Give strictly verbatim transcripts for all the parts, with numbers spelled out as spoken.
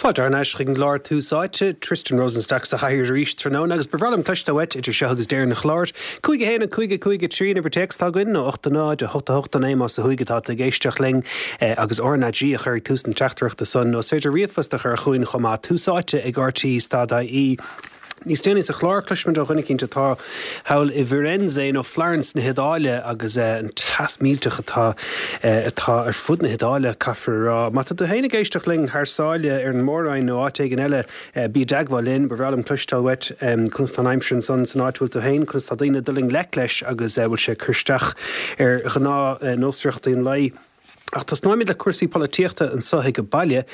Fáilte thar n-ais chuig an gclár Tús Áite, Tristan Rosenstock sa chathaoir arís tráthnóna agus ba bhreá liom cloisteáil uait idir seo agus deireadh an chláir. Cúig a haon a cúig a cúig a trí an uimhir téacs atá againn nó ocht a náid a hocht a hocht a naoi más ó thuaidh atá tú ag éisteacht linn agus RnaG a chur ag tús na teachtaireachta san nó is féidir ríomhphost a chur chugainn chomh maith Tús Áite ag RTÉ stad IE. Níos déanaí sa chlár cloisfimid ó dhuine eicínt atá thall i bhFirenze nó Florence na hIodáile agus an teas millteach atá atá ar fud na hIodáile caithfear a rá. Má tá tú féin ag éisteacht linn thar sáile ar an Mór-Roinn nó áit éigin eile bí i dteagmháil linn, ba bhreá liom cloisteáil uait conas tá an aimsir ansan san áit bhfuil tú féin, conas tá daoine ag dul i ngleic leis agus bhfuil sé ag cur isteach ar ghnáthnósmhaireachtaí an lae. Ach tosnóimid le cúrsaí polaitíochta anseo ag baile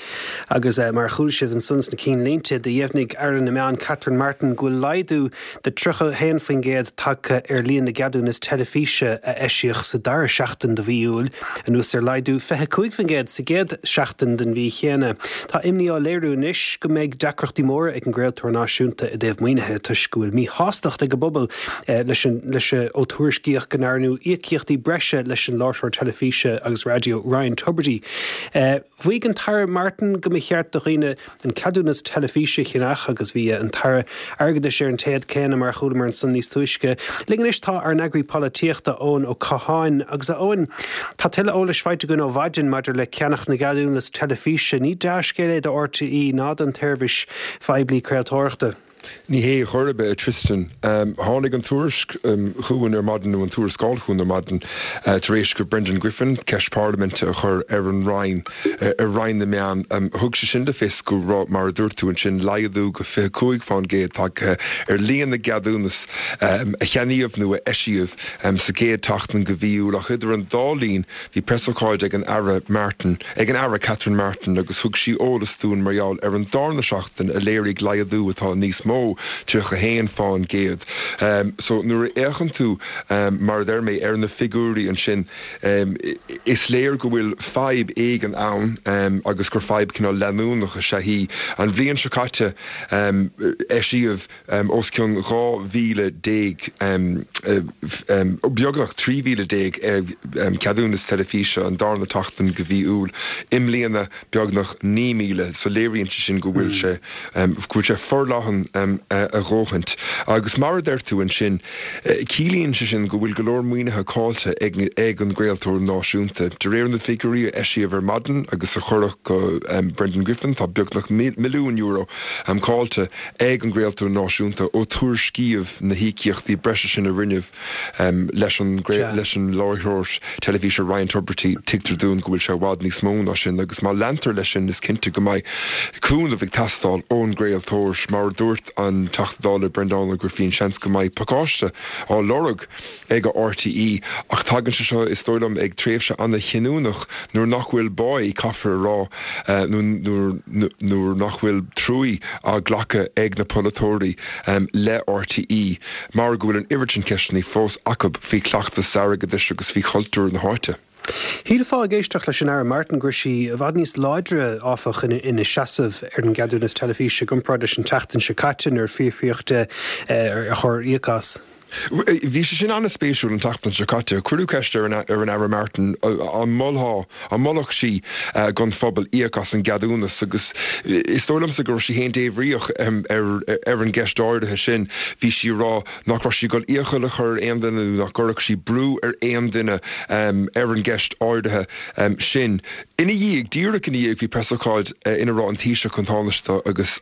agus mar a chuala sibh ansan sna cinnlínte do dheimhnigh Aire na Meán Catherine Martin go bhfuil laghdú de tríocha haon faoin gcéad tagtha ar líon na gceadúnas teilifíse a eisíodh sa dara seachtain de mhí Iúil, anuas ar laghdú fiche cúig faoin gcéad sa gcéad seachtain den mhí chéanna. Tá imní á léiriú anois go mbeidh deacrachtaí móra ag an gcraoltóir náisiúnta i dtaobh maoinithe toisc go bhfuil míshástacht ag an bpobal leis an leis ó tuairiscíodh go ndearnadh íocaíochtaí breise leis an láithreoir teilifíse agus raidió Ryan Tubridy. Mhaígh an tAire Martin go mba cheart do dhaoine an ceadúnas teilifíse a cheannach agus bhí an tAire Airgeadais ar an téad céanna mar chualamar ansan níos túisce. Linn anois tá ár n-eagraí polaitíochta Eoin Ó Catháin agus a Eoin tá tuilleadh eolais faighte againn ó mhaidin maidir le ceannach na gceadúnas teilifíse, ní dea-scéal é do RTÉ ná don tseirbhís phoiblí craoltóireachta. Ní hé chor ar bith Tristan. Tháinig an tuairisc chugainn ar maidin nó an tuarascáil chugainn ar maidin tar éis go Brendan Griffin ceist parlaiminte a chur ar an Roinn ar Roinn na Meán. Thug sé sin le fios go raibh mar a dúirt tú ansin laghdú go fiche cúig faoin gcéad tagtha ar líon na gceadúnas a cheannaíodh nó a eisíodh sa gcéad tseachtain de mhí Iúil ach idir an dá linn bhí preasócáid ag an Aire Martin ag an Aire Catherine Martin agus thug sí eolas dúinn mar gheall ar an darna seachtain a léirigh laghdú atá níos mó tríocha haon faoin gcéad. So nuair a fhéachann tú mar a deir mé ar na figiúirí ansin is léir go bhfuil fadhb éigin ann agus gur fadhb cineál leanúnach is ea í. An bhliain seo caite eisíodh os cionn dhá mhíle déag beagnach trí mhíle déag ceadúnas teilifíse an darna tseachtain de mhí Iúil. I mbliana beagnach naoi míle, so léiríonn sé sin go bhfuil sé go bhfuil sé forleathan a dhóthaint. Agus mar a deir tú ansin, ciallaíonn sé sin go bhfuil go leor maoinithe caillte ag ag an gcraoltóir náisiúnta. De réir na figiúirí a eisíodh ar maidin agus a cuireadh go Brendan Griffin tá beagnach milliún euro caillte ag an gcraoltóir náisiúnta ó tuairiscíodh na híocaíochtaí breise sin a rinneadh leis an leis an láithreoir teilifíse Ryan Tubridy tuigtear dúinn go bhfuil sé i bhfad níos mó ná sin agus má leantar leis sin is cinnte go mbeidh cúnamh ag teastáil ón gcraoltóir mar dúirt an Teachta Dála Breandán Ó Grifín seans go mbeidh pacáiste á lorg ag RTÉ ach tagann sé seo is dóigh liom ag tréimhse an-chinniúnach nuair nach bhfuil báí caithfear a rá nuair nach bhfuil trua á glacadh ag na polaiteoirí le RTÉ mar go bhfuil an oiread sin ceisteanna fós acu faoi chleachtas airgeadais agus faoi chultúr na háite. Shílfeá ag éisteacht leis an Aire Martin go raibh sí i bhfad níos láidre áfach ina seasamh ar an gceadúnas teilifíse i gcomparáid leis an tseachtain seo caite nuair a fiafraíodh di ar chóir íoc as. Bhí sé sin an-spéisiúil an tseachtain seo caite. Cuireadh ceist ar an ar an Aire Martin an molfadh an molfadh sí don phobal íoc as an gceadúnas agus is dóigh liomsa go raibh sí féin débhríoch ar ar an gceist áirithe sin. Bhí sí ag rá nach raibh sí ag dul iachall a chur ar aon duine nó nach gcuirfeadh sí brú ar aon duine ar an gceist áirithe sin. Ina dhiaidh, díreach ina dhiaidh bhí preasócáid ina raibh an Taoiseach an Tánaiste agus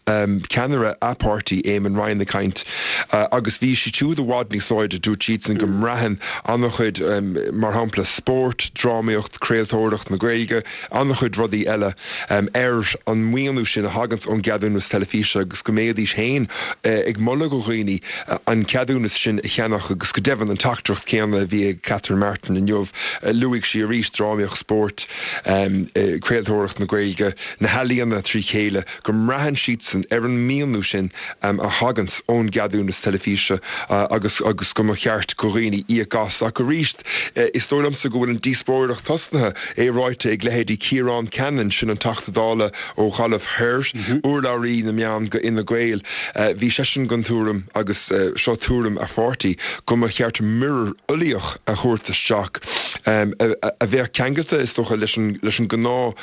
ceannaire a pháirtí Eamon Ryan ag caint agus bhí siad siúd i bhfad níos láidre dúirt siadsan go mbraitheann an-chuid mar shampla spórt, drámaíocht, craoltóireacht na Gaeilge, an-chuid rudaí eile ar an maoiniú sin a thaganns ón gceadúnas teilifíse agus go mbeidís féin ag moladh do dhaoine an ceadúnas sin a cheannach agus go deimhin an teachtaireacht céanna a bhí ag Catherine Martin inniu luaigh sí arís drámaíocht spórt craoltóireacht na Gaeilge, na healaíona trí chéile, go mbraitheann siadsan ar an maoiniú sin a thaganns ón gceadúnas teilifíse agus agus go mba cheart go dhaoine íoc as. Ach arís, is dóigh liomsa go bhfuil an díospóireacht tosnaithe, é ráite ag leithéidí Ciarán Cannon, sin an Teachta Dála ó Ghaillimh Thoir, urlabhraí na meán go Fhine Gael, bhí seisean den tuairim, agus seo tuairim a pháirtí, go mba cheart muirear uilíoch a thabhairt isteach a bheadh ceangailte, is dócha, leis an leis an gnáth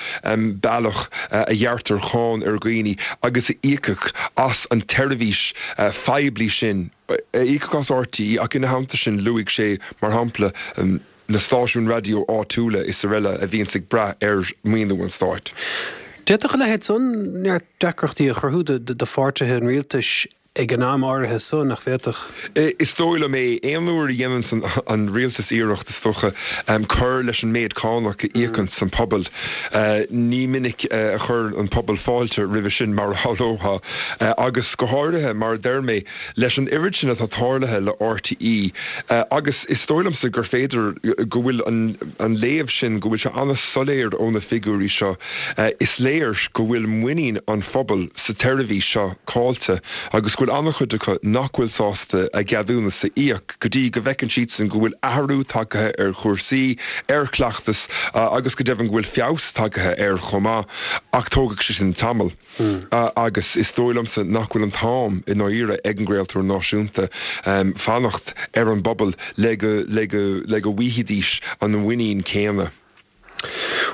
bealach a ghearrtar cáin ar dhaoine agus a íocfadh as an tseirbhís phoiblí sin, a íocfadh as R T E ach ina theannta sin luaigh sé, mar shampla, na stáisiúin raidió áitiúla is araile a bhíonns ag brath ar mhaoiniú an stáit. D'fhéadfadh a leithéid san neart deacrachtaí a chruthú do pháirtithe an rialtais ag an am áirithe so, nach bhféadfadh? Is dóigh liom é. Aon uair a dhéananns an rialtas iarracht, is dócha, cur leis an méid cánach a íocanns an pobal, ní minic a chuir an pobal fáilte roimhe sin, mar a shamhlófá. Agus go háirithe, mar a deir mé, leis an oiread sin atá tarlaithe le R T E. Agus is dóigh liomsa gur féidir go bhfuil an léamh sin, go bhfuil sé an-soiléir ó na figiúirí seo, is léir go bhfuil muinín an phobail sa tseirbhís seo caillte agus go bhfuil an-chuid acu nach bhfuil sásta a gceadúnas a íoc go dtí go bhfeiceann siadsan go bhfuil athrú tagtha ar chúrsaí, ar chleachtas agus go deimhin go bhfuil feabhas tagtha air chomh maith. Ach tógfaidh sé sin tamall. Agus is dóigh liomsa nach bhfuil an t-am i ndáiríre ag an gcraoltóir náisiúnta fanacht ar an bpobal le go le go le go bhfaighidís an mhuinín céanna.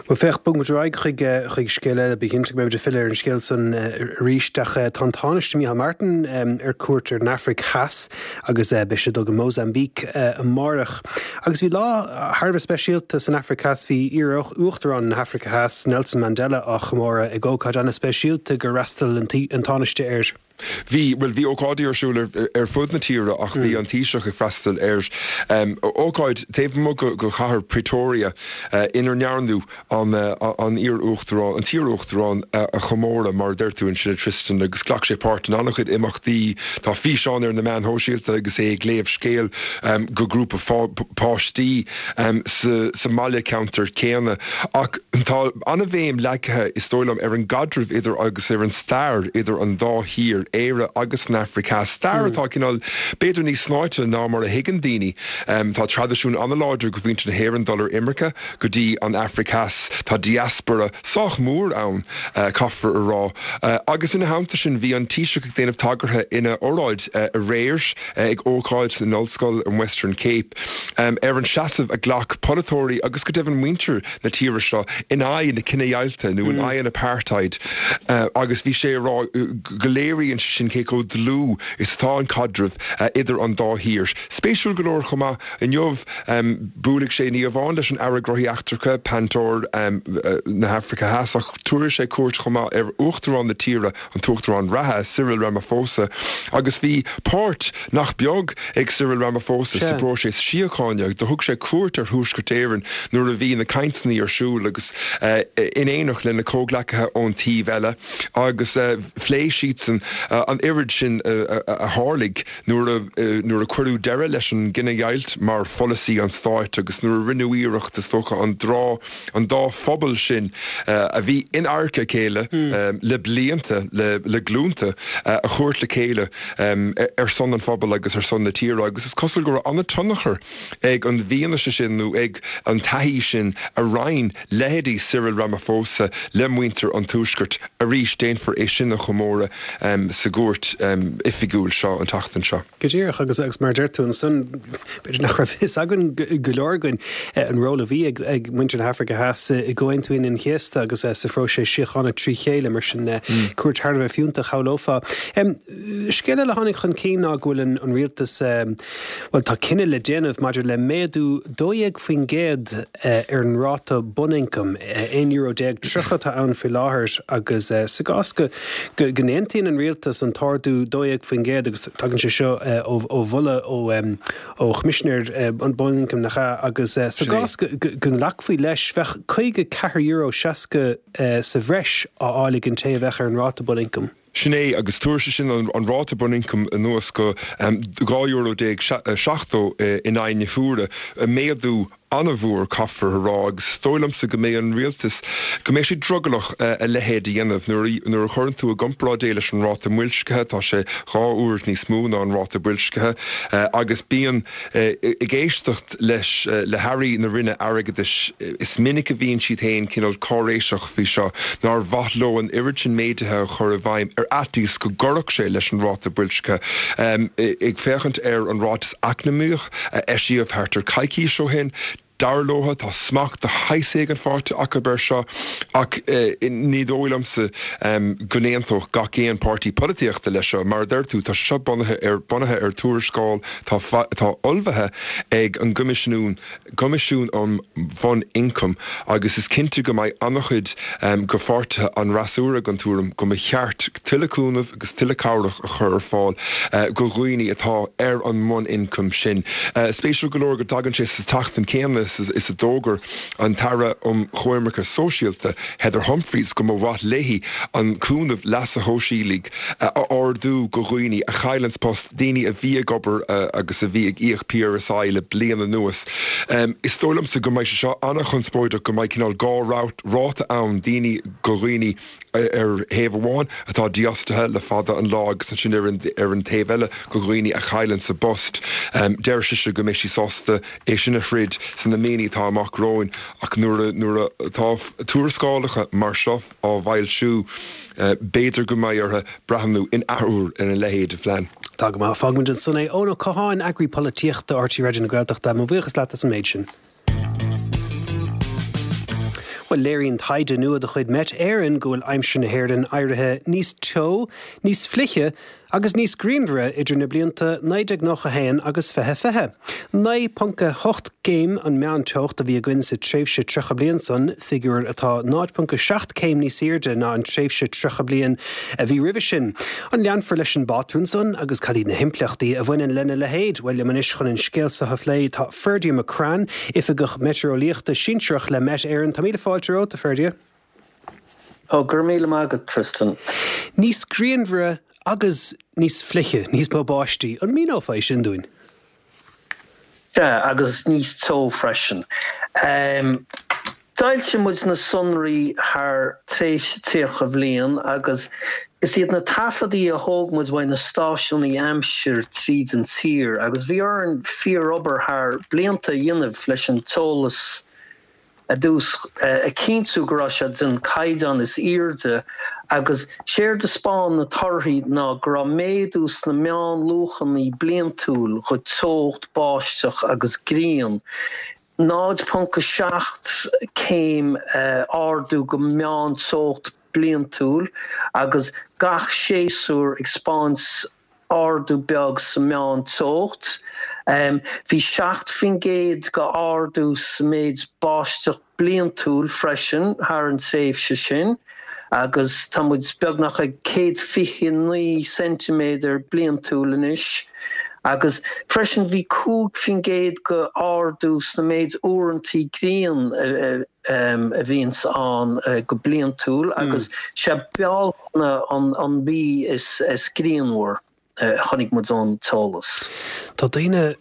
Bhuel féach, bogfaidh muid ar aghaidh chuig chuig scéal eile, bí cinnte go mbeidh muid ag filleadh ar an scéal san arís, ach tá an Tánaiste Micheál Martin ar cuairt ar an Afraic Theas agus beidh sé ag dul go Mozambique amárach. Agus bhí lá thar a bheith speisialta san Afraic Theas, bhí iar-uachtarán na hAfraice Theas, Nelson Mandela, á chomóradh ag ócáid an-speisialta gur fhreastail an Tánaiste air. Bhí, bhuel, bhí ócáidí ar siúl ar fud na tíre ach bhí an Taoiseach ag freastal ar ócáid taobh amuigh de chathair Pretoria inar ndearnadh an an iar-uachtarán, an t-iar-uachtarán a chomóradh, mar a deir tú ansin, a Tristan, agus ghlac sé páirt in an-chuid imeachtaí. Tá físeán ar na meáin shóisialta agus é ag léamh scéal go grúpa páistí sa mbaile ceantair céanna. Ach tá an-bhéim leagtha, is dóigh liom, ar an gcaidreamh idir agus ar an stair idir an dá thír, Éire agus an Afraic Theas. Stair atá cineál b'fhéidir níos snáite ná mar a thuigeann daoine. Tá traidisiún an-láidir go mhuintir na hÉireann dul ar imirce go dtí an Afraic Theas. Tá diaspora sách mór ann, caithfear a rá. Agus ina theannta sin bhí an Taoiseach ag déanamh tagartha ina óráid aréir ag ócáid in ollscoil an Western Cape ar an seasamh a ghlac polaiteoirí agus go deimhin muintir na tíre seo in aghaidh na cinedheighilte nó in aghaidh an apartheid agus bhí sé ag rá go léiríonn sé sin cé chomh dlúth is atá an caidreamh idir an dá thír. Spéisiúil go leor chomh maith inniu buailfidh sé ní amháin leis an Aire Gnóthaí Eachtracha Pantor na hAfraice Theas ach tabharfaidh sé cuairt chomh maith ar uachtarán na tíre, an t-uachtarán reatha Cyril Ramaphosa, agus bhí páirt nach beag ag Cyril Ramaphosa sa bpróiseas síochána. Do thug sé cuairt ar Thuaisceart Éireann nuair a bhí na cainteanna ar siúl agus in éineacht lena chomhghleacaithe ón taobh eile agus phléigh siadsan an oiread sin a tharlaigh nuair a nuair a cuireadh deireadh leis an gcinedheighilt mar pholasaí an stáit agus nuair a rinneadh iarracht is dócha an dá an dá phobal sin a bhí in adharca a chéile le blianta le le glúnta a thabhairt le chéile ar son an phobail agus ar son na tíre agus is cosúil go raibh an-tionchar ag an bhfianaise sin nó ag an taithí sin a roinn leithéidí Cyril Ramaphosa le muintir an Tuaiscirt. Arís déanfar é sin a chomóradh sa gcuairt oifigiúil seo an tseachtain seo. Go díreach agus agus mar deir tú ansan b'fhéidir nach raibh fhios againn go leor againn an ról a bhí ag ag muintir na hAfraice Theas i gComhaontú Aoine an Chéasta agus sa phróiseas síochána trí chéile mar sin cuairt thar a bheith fiúntach shamhlófá. Scéal eile a tháinig chun cinn ná go bhfuil an an rialtas well tá cinneadh le déanamh maidir le méadú dó dhéag faoin gcéad ar an ráta bunioncaim aon euro déag tríocha atá ann faoi láthair agus sa gcás go go n-aontaíonn an rialtas an t-ardú dó dhéag faoin gcéad agus tagann sé seo ó ó mholadh ó ó Choimisinéir an Bunioncaim nach ea agus sa gcás go go nglacfaí leis bheadh caoga ceathair euro seasca sa bhreis á fháil ag an té a bheadh ar an ráta bunioncaim. Sin é agus tabharfaidh sé sin an, an ráta bunioncaim anuas go um, dhá euro déag seachtó in aghaidh na huaire méadú an-mhór, caithfear a rá, agus is dóigh liomsa go mbeidh an rialtas, go mbeidh siad drogallach a leithéid a dhéanamh. Nuair nuair a chuireann tú i gcomparáid é leis an ráta boilscithe, tá sé dhá uair níos mó ná an ráta boilscithe agus bíonn ag éisteacht leis le hairí na Roinne Airgeadais, is minic a bhíonn siad féin cineál cáiréiseach faoi seo, nár mhaith leo an oiread sin méaduithe a chur i bhfeidhm ar fhaitíos go gcuirfeadh sé leis an ráta boilscithe. Ag féachaint ar an ráiteas eacnamaíoch a eisíodh thart ar coicís ó shin, dar leo, tá smacht de shaghas éigin faighte acu air seo ach ní dóigh liomsa go n-aontódh gach aon páirtí polaitíochta leis seo. Mar a deir tú, tá sé seo bunaithe ar bunaithe ar tuarascáil atá atá ullmhaithe ag an gCoimisiún Coimisiún um Bhun-Ioncam agus is cinnte go mbeidh an-chuid de pháirtithe an fhreasúra den tuairim go mba cheart tuilleadh cúnaimh agus tuilleadh cabhrach a chur ar fáil do dhaoine atá ar an mbun-ioncam sin. Spéisiúil go leor go dtagann sé sa tseachtain céanna is a d'fhógair an tAire um Choimirce Sóisialta, Heather Humphreys, go mba mhaith léi an cúnamh leasa shóisialaigh a ardú do dhaoine a chailleanns post, daoine a bhí ag obair agus a bhí ag íoc P R S I le bliain anuas. Is dóigh liomsa go mbeidh sé seo an-chonspóideach, go mbeidh cineál dhá ráta ann, daoine do dhaoine ar thaobh amháin atá dífhostaithe le fada an lá agus ansin ar an ar an taobh eile do dhaoine a chailleanns a bpost. Deir sise go mbeidh sí sásta é sin a throid sna míonna atá amach romhainn ach nuair nuair atá tuarascálacha mar seo á bhfoilsiú, b'fhéidir go mbeidh orthu breathnú in athuair ar a leithéid de phlean. Tá go maith. Fágfaimid ansan é. Eoin Ó Catháin, Eagraí Polaitíochta R T Raidió na Gaeltachta, mo bhuíochas leat as an méid sin. Bhuel, léiríonn taighde nua de chuid Met Éireann go bhfuil aimsir na hÉireann éirithe níos teo, níos fliche agus níos grianmhaire idir na blianta naoi déag nócha a haon agus fiche fiche. Naoi ponc a hocht gcéim an meánteocht a bhí againn sa tréimhse tríocha bliain san, figiúr atá náid ponc a seacht céim níos airde ná an tréimhse tríocha bliain a bhí roimhe sin. An leanfar leis an bpátrún san agus cad iad na himpleachtaí a bhaineann lena leithéid? Bhuel, liom anois chun an scéal seo a phlé tá Ferdia McCrann, Oifigeach Meitéareolaíochta Sinsearach le Met Éireann. Tá míle fáilte romhat, a Ferdia. Ó, go raibh míle maith agat, Tristan. Níos grianmhaire agus níos fliche, níos mó báistí. An míneofá é sin dúinn? Sea, agus níos teo freisin. D'fhoilsigh muid na sonraí thar tréimhse tríocha bhliain agus is iad na taifeadaí a thóg muid uaidh na stáisiúnaí aimsir tríd an tír agus bhí orainn fíorobair thar blianta a dhéanamh leis an t-eolas ar dtús a chinntiú go raibh sé den caighdeán is airde agus séard a 'spáin na torthaí ná go raibh méadú sna meánluachanna bliantúil go teocht, báisteach agus grian. náid ponc a seacht céim ardú go meánteocht bliantúil agus gach séasúr ag 'spáint ardú beag sa meánteocht. Bhí seacht faoin gcéad go ardú sa méid báisteach bliantúil freisin thar an tréimhse sin agus tá muid beagnach ag céad fiche naoi ceintiméadar bliantúil anois. Agus freisin bhí cúig faoin gcéad go ardú sna méid uaireantaí grian a bhíonns ann go bliantúil agus sé Bealtaine an mhí is grianmhar a chonaic muid ón t-eolas. Tá daoine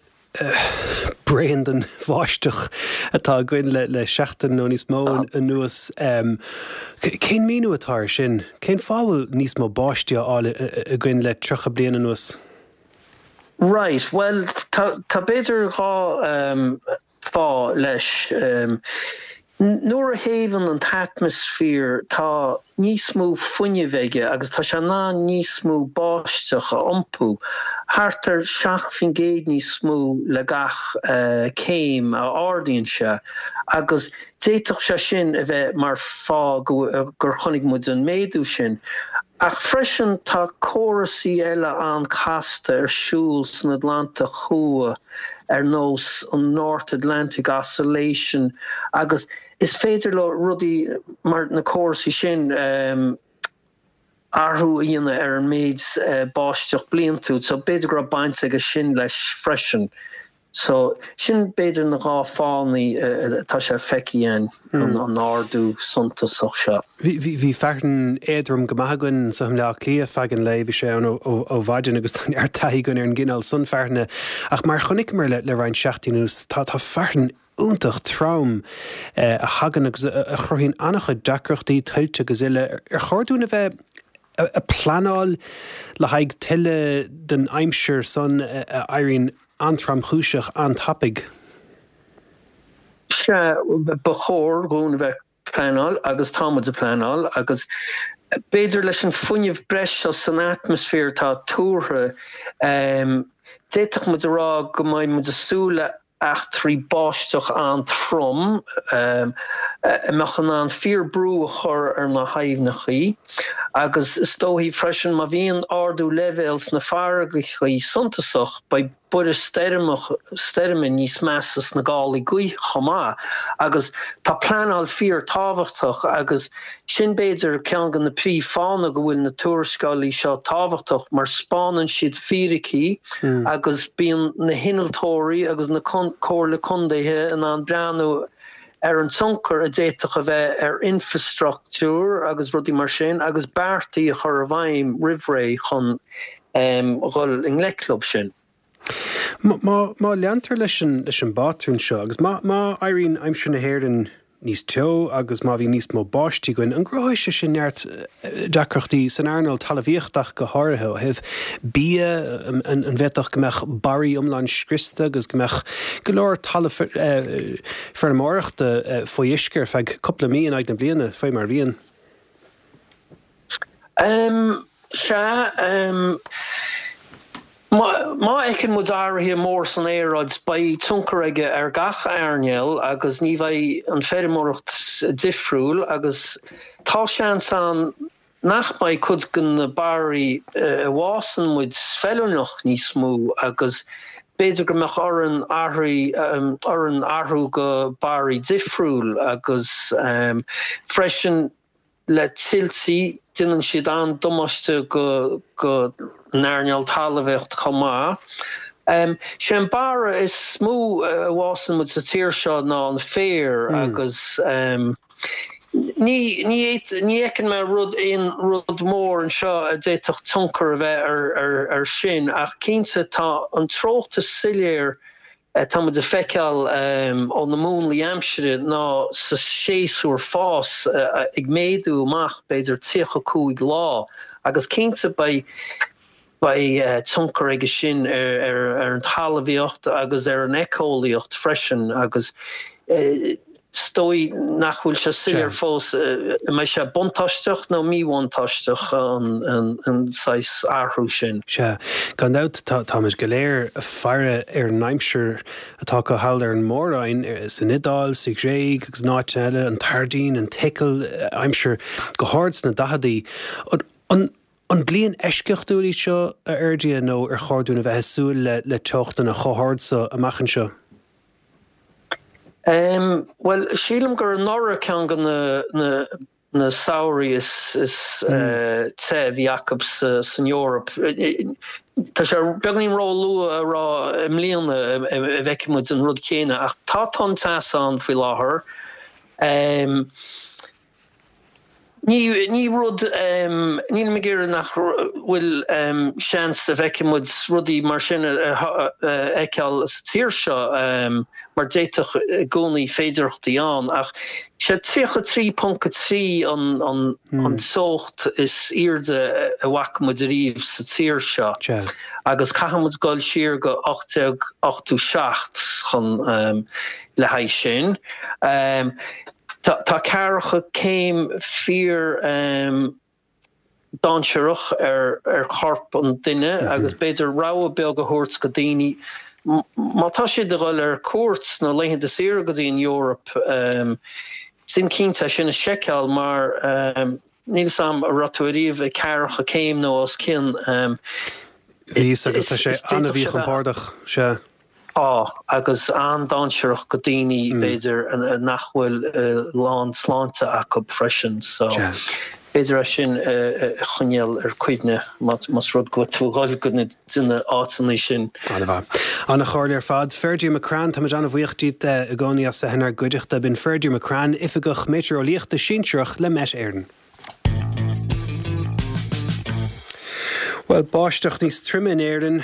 bréan den bháisteach atá againn le seachtain nó níos mó anuas. Cén míniú atá air sin? Cén fáth a bhfuil níos mó báistí á fháil againn le tríocha bliain anuas? Right, bhuel tá tá b'fhéidir dhá fáth leis. Nuair a théamhann an t-atmaisféar tá níos mó fuinnimh aige agus tá sé in ann níos mó báisteach a iompú, thart ar seacht faoin gcéad níos mó le gach céim a ardaíonn sé, agus d'fhéadfadh sé sin a bheith mar fáth gur chonaic muid an méadú sin. Ach freisin tá córasaí eile an-chasta ar siúl san Atlantach Thuaidh ar nós an North Atlantic Oscillation agus is féidir leo rudaí mar na córasaí sin athrú a dhéanamh ar an méid báisteach bliantúil so b'fhéidir go raibh baint aige sin leis freisin. So, sin b'fhéidir na dhá fáthannaí atá sé feicthe againn, an ardú suntasach seo. Bhí bhí fearthainn éadrom go maith againn anseo i mBleá Cliath feadh an lae, bhí sé ann ó mhaidin agus tá neart taithí againn ar an gcineál san fearthainne. Ach mar a chonaiceamar le roinnt seachtainí anuas, tá tá fearthainn iontach trom a thagann agus a chruthaíonn an-chuid deacrachtaí, tuilte agus uile. Ar chóir dúinn a bheith ag pleanáil le haghaidh tuilleadh den aimsir san a éiríonn an-tromchúiseach an-tapaidh? Sea, ba chóir dhúinn a bheith ag pleanáil agus tá muid ag pleanáil agus b'fhéidir leis an fuinneamh breise seo san atmaisféar atá tuartha, d'fhéadfadh muid a rá go mbeidh muid ag súil le eachtraí báisteach an-trom a mbeadh in ann fíor-brú a chur ar na haibhneachaí agus is dóichí freisin má bhíonn ardú leibhéal sna farraigeachaí suntasach beidh borradh stoirme níos measa sna gálaí gaoithe chomh maith agus tá pleanáil fíor tábhachtach agus sin b'fhéidir ceann de na príomh fáthanna go bhfuil na tuarascálaí seo tábhachtach mar 'spánann siad fíricí agus bíonn na hinnealtóirí agus na comhairle contaetha in ann breathnú ar an tionchar a d'fhéadfadh a bheith ar infreastruchtúr agus rudaí mar sin agus beartaí a chur i bhfeidhm roimh ré chun dhul i ngleic leo sin. Má má leantar leis an leis an bpátrún seo agus má má éiríonn aimsir na hÉireann níos teo agus má bhíonn níos mó báistí againn, an gcruthóidh sé sin neart deacrachtaí san earnáil talmhaíochta ach go háirithe ó thaobh bia, an bhféadfadh go mbeadh barraí iomlán scriosta agus go mbeadh go leor talamh feirmeoireachta faoi uisce ar feadh cúpla mí in aghaidh na bliana, faoi mar a bhíonn? Sea. Má fheiceann muid athruithe mór san aeráid, beidh tionchar aige ar gach earnáil agus ní bheidh an feirmeoireacht difriúil agus tá seans ann nach mbeidh cuid de na barraí a bhfásann muid feiliúnach níos mó agus b'fhéidir go mbeadh orainn orainn athrú go barraí difriúil agus freisin le tuiltí, déanann siad an-damáiste go go n-earnáil talmhaíocht chomh maith. Sé an barra is mó a bhfásann muid sa tír seo ná an féar agus ní ní ní fheiceann mé rud aon rud mór anseo a d'fhéadfadh tionchar a bheith ar ar ar sin ach cinnte tá an treocht is soiléir atá muid a feiceáil ó na múnlaí aimsire ná sa séasúr fás ag méadú amach b'fhéidir tríocha cúig lá agus cinnte beidh beidh tionchar aige sin ar ar an talmhaíocht agus ar an éiceolaíocht freisin agus Is dóigh nach bhfuil sé soiléir fós an mbeidh sé buntáisteach nó míbhuntáisteach an saghas athrú sin. Sea, gan dabht táimid go léir ag faire ar an aimsir atá acu thall ar an Mór-Roinn, san Iodáil, sa Ghréig agus in áiteanna eile, an tSairdín, an tSicil, aimsir go hard sna daicheadaí. An An bliain eisceachtúil í seo, a Fherdia, nó ar chóir dúinn a bheith ag súil le teochtanna chomh hard so amach anseo? Bhuel, sílim gur anuraidh ceann de na na samhraí is is te a bhí acu san Eoraip. Tá sé beagáinín ró-luath a rá i mbliana a bhfeicfidh muid an rud céanna ach tá tonn teasa ann faoi láthair. Ní, ní rud, nílim ag iarraidh nach bhfuil seans a bhfeicfidh muid rudaí mar sin a fheiceáil sa tír seo mar d'fhéadfadh i gcónaí féidearthachtaí ann ach sé tríocha trí ponc a trí an an teocht is airde a bhfaca muid ariamh sa tír seo agus caithfidh muid dul siar go ocht déag ochtó seacht chun le haghaidh sin. Tá ceathracha céim fíor dainséarach ar chorp an duine agus b'fhéidir rabhadh beag a thabhairt go daoine má tá siad ag dul ar cuairt nó laethanta saoire go dtí an Eoraip, déan cinnte é sin a sheiceáil mar níl 'fhios a'm an raibh tú ariamh ag ceathracha céim nó os cionn. Bhíos agus tá sé an-mhíchompordach, sea. Tá, agus an-dainséarach go daoine, b'fhéidir, nach bhfuil lán sláinte acu freisin. So, b'fhéidir é sin a choinneáil ar cuimhne más rud go bhfuil tú ag dul go dtí na áiteanna sin. An-mhaith. An-chomhairle ar fad. Ferdia McCrann, táimid an-bhuíoch díot i gcónaí as bheith inár gcuideachta. B'in Ferdia McCrann, Oifigeach Meitéareolaíochta Sinsearach le Met Éireann. Bhuel, báisteach níos troime in Éirinn,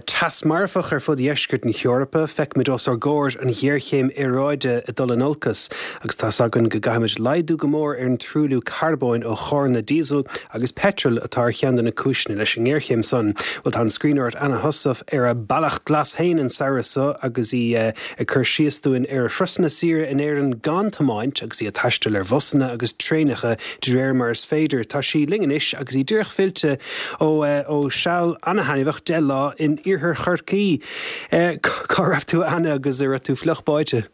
teas marfach ar fud dheisceart na hEorpa, feicimid os ár gcomhair an ghéarchéim aeráide ag dul in olcas, agus tá's againn go gcaithfimid laghdú go mór ar an truailliú carbóin ó charranna díosail agus peitril atá ar cheann de na cúiseanna leis an ngéarchéim san. Bhuel, tá an scríbhneoir Anna Heussaff ar a bealach glas féin an samhradh seo agus í ag cur síos dúinn ar a thurasanna saoire in Éirinn gan tiomáint agus í ag taisteal ar bhusanna agus traenacha de réir mar is féidir. Tá sí linn anois agus í díreach fillte ó ó seal an-thaitneamhach deich lá in iarthar Chorcaí. Cá raibh tú Anna agus an raibh tú fliuch báite?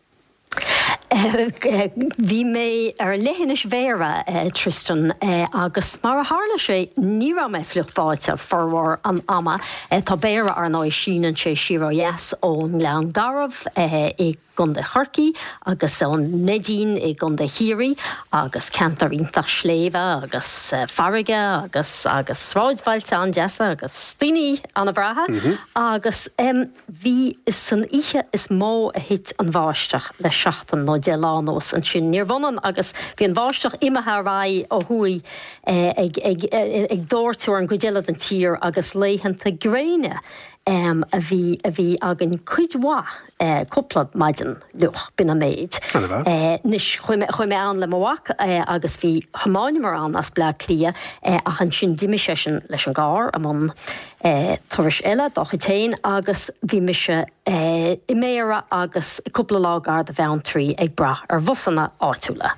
Bhí mé ar leithinis Bhéarra Tristan agus mar a tharla sé ní raibh mé fliuch báite formhór an ama. Tá Béarra ar ndóigh síneann sé siar ó dheas ón nGleann Garbh i gContae Chorcaí agus ón Neidín i gContae Chiarraí agus ceantar iontach sléibhe agus farraige agus agus sráidbhailte an-deasa agus daoine an-bhreátha mm -hmm. agus um, bhí san oíche is mó a thit an bháisteach le seachtain nó deich lá anuas ansin níorbh ionann agus bhí an bháisteach imithe ar aghaidh ó thuaidh eh, ag, ag, ag, ag dóirteadh ar an gcuid eile den tír agus laethanta gréine um, a bhí a bhí againn cuid mhaith uh, cúpla maidin fhliuch b'in an méid. Uh, Anois chuaigh mé ann le mo mhac uh, agus bhí thiomáineamar ann as Bleá Cliath uh, ach ansin d'imigh seisean leis an gcarr i mbun uh, turais eile dá chuid féin agus bhí mise uh, i mBéarra agus cúpla lá gar do Bheanntraí ag brath ar bhusanna áitiúla.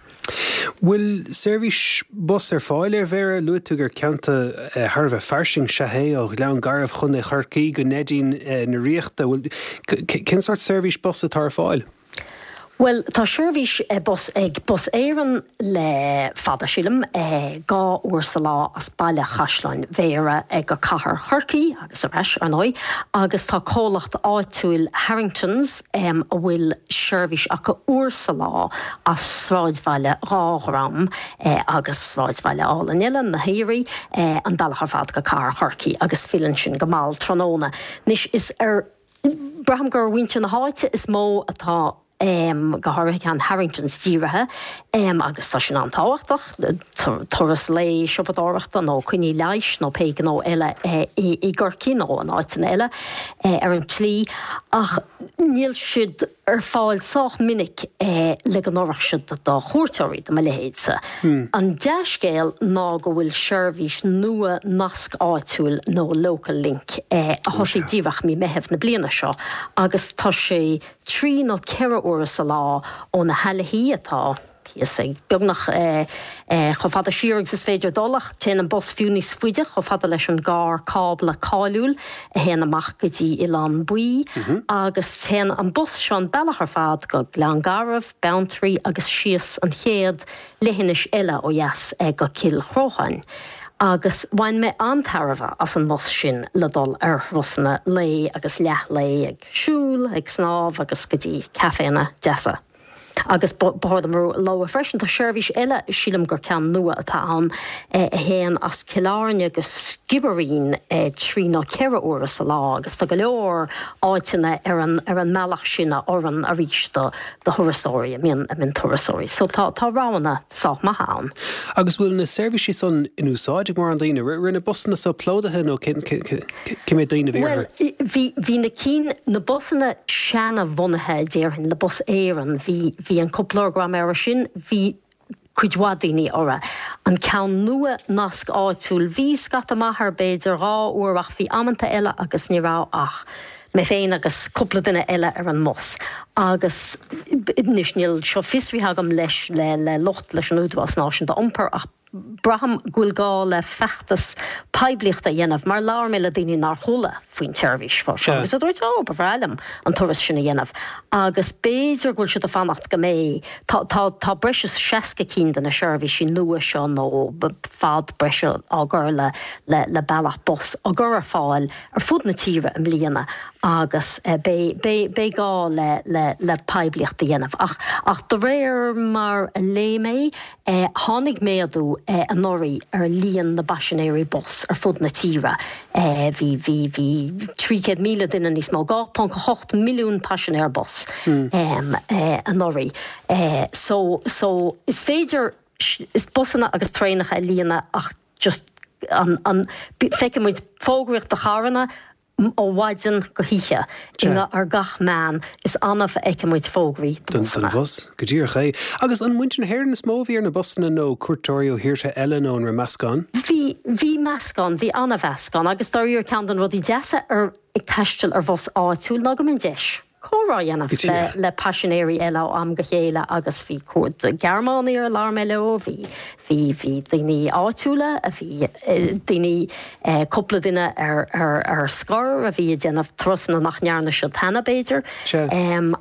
Bhfuil seirbhís bus ar fáil ar Bhéarra luaigh tú gur ceantar thar a bheith fairsing is ea é ó Ghleann Garbh Chontae Chorcaí go Neidín na Ríochta cén sórt seirbhís bus atá ar fáil? Well tá seirbhís bus ag Bus Éireann le fada sílim dhá uair sa lá as baile Chaisleáin Bhéarra ag go cathair Chorcaí agus ar ais ar ndóigh, agus tá comhlacht áitiúil Harringtons um, a bhfuil seirbhís acu uair sa lá as sráidbhaile Dhá Dhroim eh, agus sráidbhaile álainn eile na hAoraí eh, an bealach ar fad go cathair Chorcaí agus filleann sin go mall tráthnóna. Anois is ar braithim gur mhuintir na háite is mó atá um, go háirithe an Harringtons dírithe um, agus tá sin an-tábhachtach turas lae siopadóireachta nó coinní leighis nó pé gnó eile eh, i, i gCorcaigh nó in áiteanna eile eh, ar an tslí ach níl siad ar fáil sách minic eh, le go n-oirfeadh siad do chuairteoirí do mo leithéidse. Hmm. An dea-scéal ná go bhfuil seirbhís nua nasc áitiúil nó local link eh, a thosaigh díreach mí Meitheamh na bliana seo agus tá sé trí nó ceithre uair sa lá ó na hAilthí atá thíos ag beagnach eh, eh, chomh fada siar agus is féidir dul ach téann an bus fiú níos faide chomh fada leis an gcarr cábla cáiliúil a théann amach go dtí Oileán Buí mm -hmm. agus téann an bus seo an bealach ar fad go Gleann Garbh, Beanntraí agus síos an chéad leithinis eile ó dheas eh, go Cill Chrócháin. Agus bhain mé an-tairbhe as an mbus sin le dul ar thurasanna lae agus leathlae ag siúl, ag snámh agus go dtí caiféanna deasa. Agus ba chóir dom a lua freisin tá seirbhís eile sílim gur ceann nua atá ann a théann as Cill Airne go Sciobairín trí nó ceithre huaire sa lá agus tá go leor áiteanna ar an ar an mbealach sin a oireann arís do do thurasóirí a mbíonn a mbíonn turasóirí. So tá tá roghanna sách maith ann. Agus bhfuil na seirbhísí san in úsáid ag mórán daoine, raibh na busanna so plódaithe nó cé mhéad daoine a bhí Well bhí bhí na cinn na busanna seana-bhunaithe déarfainn le Bus Éireann bhí bhí an cúpla uair go raibh mé air sin bhí cuid mhaith daoine orthu. An ceann nua nasc áitiúil bhí scata maith air b'fhéidir dhá uair ach bhí amanta eile agus ní raibh ach mé féin agus cúpla duine eile ar an mbus. Agus anois níl seo fiosraithe agam leis le le lucht leis an Údarás Náisiúnta Iompair ach braithim go bhfuil gá le feachtas poiblíochta a dhéanamh mar labhair mé le daoine nár chuala faoin tseirbhís fá seo agus a dúirt ó ba bhreá liom an turas sin a dhéanamh agus b'fhéidir go bhfuil siad ag fanacht go mbeidh tá tá tá breis is seasca cinn de na seirbhísí nua seo nó fad breise á gcur le le le bealach bus á gcur ar fáil ar fud na tíre i mbliana agus eh, beidh beidh beidh gá le le le poiblíocht a dhéanamh ach ach de réir mar a léigh mé eh, tháinig méadú eh, anuraidh ar líon na bpaisinéirí bus ar fud na tíre. Eh, bhí bhí bhí trí chéad míle duine níos mó dhá ponc a hocht milliún paisinéir bus mm. um, eh, anuraidh. Eh, so so is féidir is busanna agus traenacha a líonadh ach just an, an, feiceann muid fógraíocht do charranna ó mhaidin go hoíche ar gach meán, is annamh a fheiceann muid fógraí don bhusanna. Don bhus, go díreach é. Agus an muintir na hÉireann is mó a bhí ar na busanna nó cuairteoirí ó thíortha eile nó an raibh meascán? Bhí, bhí meascán, bhí an-mheascán agus dáiríre ceann de na rudaí deasa ar ag taisteal ar bhus áitiúil ná go mbíonn deis comhrá a dhéanamh le le paisinéirí eile ó am go chéile agus bhí cuid Gearmánaigh ar labhair mé leo, bhí bhí bhí daoine áitiúla, a bhí daoine cúpla duine ar ar ar scor a bhí ag déanamh turasanna nach ndearna siad cheana b'fhéidir